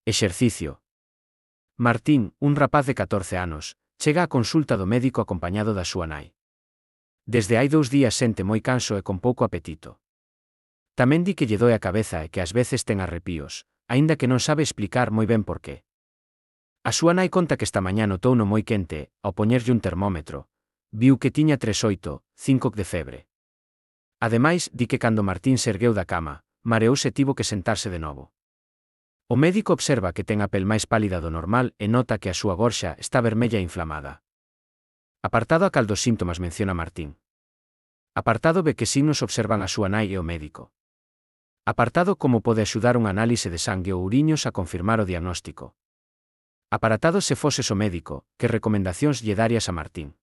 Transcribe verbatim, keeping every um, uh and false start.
Exercicio. Martín, un rapaz de catorce anos, chega á consulta do médico acompañado da súa nai. Desde hai dous días sente moi canso e con pouco apetito. Tamén di que lle doe a cabeza e que ás veces ten arrepíos, aínda que non sabe explicar moi ben por qué. A súa nai conta que esta mañá notouno moi quente, ao poñerlle un termómetro, viu que tiña tres oito, cinco de febre. Ademais, di que cando Martín se ergueu da cama, mareouse e tivo que sentarse de novo. O médico observa que ten a pel máis pálida do normal e nota que a súa gorxa está vermella e inflamada. Apartado a cal dos síntomas menciona Martín. Apartado B que signos observan a súa nai e o médico. Apartado como pode axudar unha análise de sangue ou uriños a confirmar o diagnóstico. Apartado se foses o médico, que recomendacións lle darías a Martín.